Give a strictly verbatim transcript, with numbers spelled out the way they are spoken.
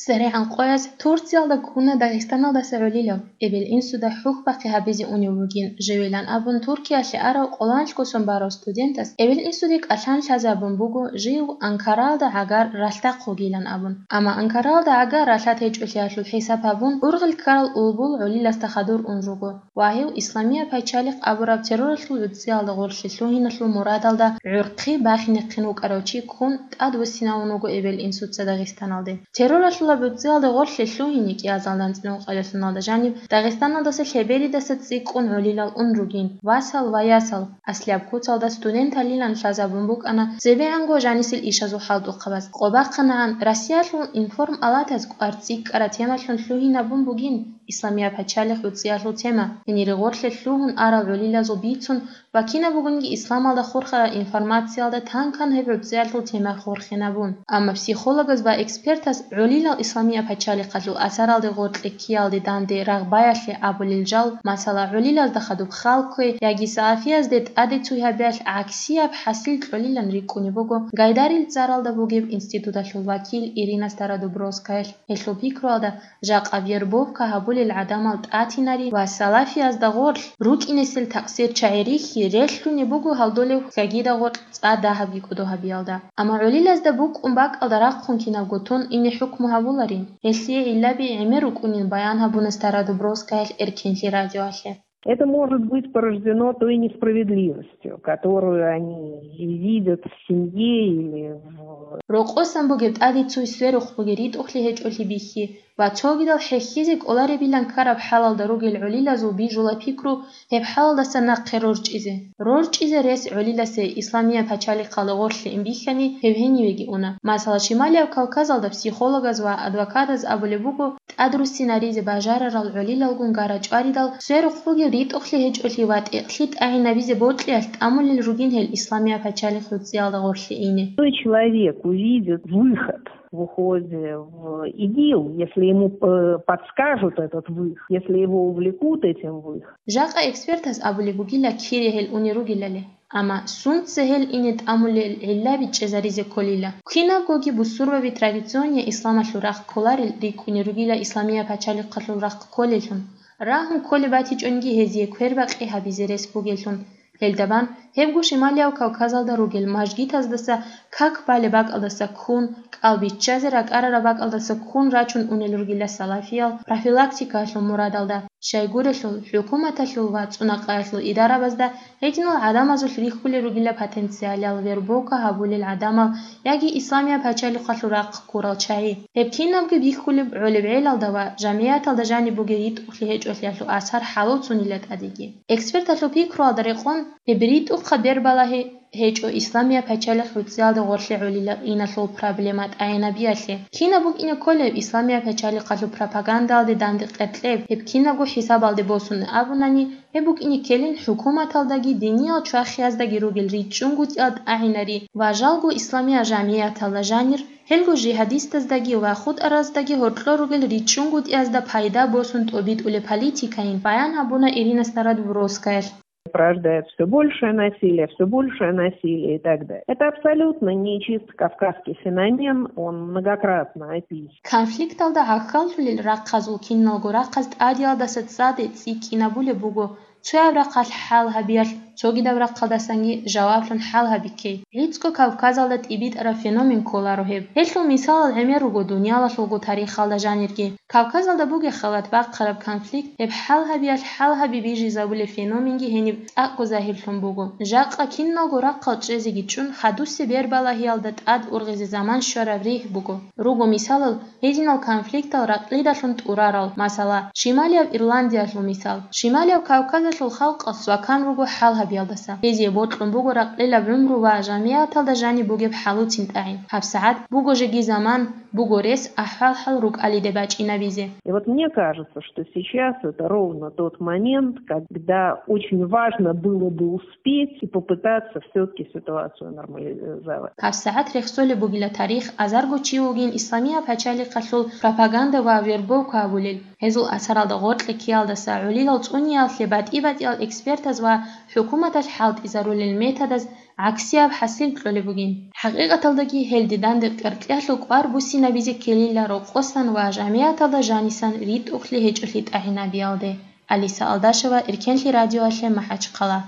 СеригӀан къояз Турциялда ккуна Дагъистаналдаса гӀолилав, эбел-инсуда хӀухьбахъи гьабизе унев вугин, живилан абун Туркиялъе арав къоланлъго сон барав студентас эбел-инсуде кӀалъан лъазабун буго жив Анкаралда гӀагар ралъдахъ вугилан абун. Амма Анкаралда гӀагар ралъад гьечӀолъиялъул хӀисаб гьабун, ургъел ккарал улбул гӀолиласда хадур ун руго. Ва гьев Исламия пачалихъ абураб терроралъул гӀуцӀиялда гъорлъе лъугьиналъул мурадалда гӀурхъи бахинехъин вукӀарав чи ккун тӀадвуссинавун вуго эбел-инсуца Дагъистаналде. Терроралъулаб гӀуцӀиялда гъорлъе лъугьине кӀиазалда анцӀила ункъоялда жаниб Дагъистаналдаса лъеберидаса цӀикӀкӀун гӀолилал ун ругин, васал ва ясал, аслияб куцалда студенталилан лъазабун букӀана цебегӀанго жанисел ишазул хӀалтӀухъабаз. Къо бахъанагӀан, Россиялъул информалатаз кӀвар цӀикӀкӀараб темалъун лъугьинабун бугин, Исламия пачалихъ гӀуцӀиялъул тема, гьенире гъорлъе лъугьун арал гӀолилазул бицун ва кинаб бугониги исламалда хурхарал информациялда тан-кан гьеб гӀуцӀиялъул тема хурхинабун. Амма психологаз ва экспертаз гӀолилал Исламия пачалихъалъул асаралде гъоркье ккеялде данде рагъбаялъе абулел жал, масала, гӀолилазда хадуб хал кквей яги салафиязде тӀаде цуй гьабиялъ гӀаксияб хӀасил кьолилан рикӀкӀунеб буго Гайдарил цӀаралда бугеб институталъул вакил Ирина Стародубровскаялъ. Гьелъул пикруялда, жакъа вербовка гьабулел гӀадамал тӀатинари ва салафиязда гъорлъ рукӀинесел такъсирчагӀи рихьи релълъунеб буго гьалдолев хьагида гъоркь цӀа дагьабги кӀодо гьабиялда. Амма гӀолилазда букӀун бакӀалда рахъун кинабго тун ине хӀукму гьабуларин, гьелъие гӀиллаби гӀемер рукӀунин баян гьабуна Стародубровскаялъ Эркенлъи радиоялъе. Это может быть порождено той несправедливостью, которую они видят в семье или в Рокъосан бугеб тӀаде цуй сверухъ бугеб ритӀухълъи гьечӀолъи бихьи ва цогидал хӀехьизе кӀоларебилан ккараб хӀалалда ругел гӀолилазул бижула пикру гьеб хӀалалдаса нахъе рорчӀизе. РорчӀизе рес гӀолиласе Исламия пачалихъалда гъорлъе ин бихьани гьеб гьенивеги уна. Масала, Шималияб Кавказалда психологаз ва адвокатаз абулеб буго, тӀадруссинаризе бажарарал гӀолилагун гара чӀваридал, сверухъ бугеб ритӀухълъи гьечӀолъи ва тӀекълъи тӀагӀинабизе бокьиялъ тӀамулел ругин гьел Исламия пачалихъ гӀуцӀиялда гъорлъе ине. Той человек увидит выход в уходе в ИГИЛ, если ему, э, подскажут этот выход, если его увлекут этим выходом. Жакъа экспертаз абулеб бугила кире гьел уне ругелали. Амма сунца гьел ине тӀамулел гӀиллаби чӀезаризе кколила. Кинабгоги бусурбаби традиционный исламалъул рахъ кколарел рикӀкӀуне ругила Исламия пачалихъалъул рахъ кколеллъун. Рагьун кколеб батичӀониги гьезие квербакъи гьабизе рес бугеллъун. Гьелда бан, гьебго Шималияв Кавказалда ругел мажгитаздаса как балеб бакӀалдаса ккун, кӀал биччазе ракӀарараб бакӀалдаса ккун рачун унел ругила салафиял профилактикаялъул мурадалда. Щайгурелъул, хӀукуматалъул ва цӀунакъаялъул идарабазда гьединал гӀадамазулъ рихьулел ругила потенциалал вербовка гьабулел гӀадамал яги Исламия пачалихъалъул рахъ ккурал чагӀи. Гьеб кинабги бихьулеб гӀолеб гӀелалда ва жамигӀаталда жаниб бугеб ритӀухълъи гьечӀолъиялъул асар хӀалуцунила тӀадеги. Эксперталъул пикруялда рекъон, гьеб ритӀухъаб бербалагьи гьечӀо Исламия пачалихъ гӀуцӀиялда гъорлъе гӀолила иналъул проблема тӀагӀинабиялъе. Кинаб букӀине кколеб Исламия пачалихъалъул пропагандалде данде къеркьеб, гьеб кинабго хӀисабалде босун абунани, гьеб букӀине ккелин хӀукуматалдаги диниял чвахияздаги ругел ричӀчӀунгутӀиялда тӀагӀинари ва жалго исламиял жамигӀаталда жанир, гьелго жигьадистаздаги ва хутӀараздаги гьоркьор ругел ричӀчӀунгутӀиязда пайда босун тӀобитӀулеб политикайин баян гьабуна Ирина Стародубровскаялъ. Порождает всё большее насилие, всё большее насилие и так далее. Это абсолютно не чисто кавказский феномен, он многократно описан. Конфликталда гӀахьаллъулел рахъазул киналго рахъаз тӀадиялдаса цӀаде цӀикӀкӀинабулеб буго, цояб рахъалъ хӀал гьабиялъ, цогидаб рахъалдасанги жаваблъун хӀал гьабикей. ГӀицӀго Кавказалда тӀибитӀараб феномен кколаро гьеб. Гьелъул мисалал гӀемер руго дуниялалъулго тарихалда жанирги. Кавказалда бугеб халат бахъараб конфликт, гьеб хӀал гьабиялъ хӀал гьаби бижизабулеб феноменги гьениб цӀакъго загьирлъун буго. Жакъа киналго рахъал чӀезеги чӀун, хадусеб бербалагьиялда тӀад ургъизе заман щвараб ригь буго. Руго мисалал, гьединал конфликтал ракьидалъун тӀурарал, масала, Шималияб Ирландиялъул мисал. Шималияб Кавказалъул халкъалъ свакан руго хӀал гьабиялдаса. Гьезие бокьун буго ракьилаб гӀумру ва жамигӀаталда жаниб бугеб хӀалуцин тӀагӀин. ГьабсагӀат буго жеги заман, буго рес ахӀвал-хӀал рукӀалиде бачӀинабизе. И вот мне кажется, что сейчас это ровно тот момент, когда очень важно было бы успеть и попытаться всё-таки ситуацию нормализовать. ГьабсагӀат рехсолеб бугила тарих, азарго чи вугин Исламия пачалихъалъул пропаганда ва вербовка гьабулел. Гьезул асаралда гъоркье ккеялдаса гӀолилал цӀуниялъе батӀи-батӀиял экспертаз ва хӀукуматалъ хӀалтӀизарулел методаз гӀаксияб хӀасил кьолеб бугин. ХӀакъикъаталдаги гьел диданда кьеркьялъул кӀвар буссинабизе ккелила рокъосан ва жамигӀаталда жанисан ритӀухълъи гьечӀолъи тӀагӀинабиялде. Алиса Алдашева, Эркенлъи радиоялъе, МахӀачхъала.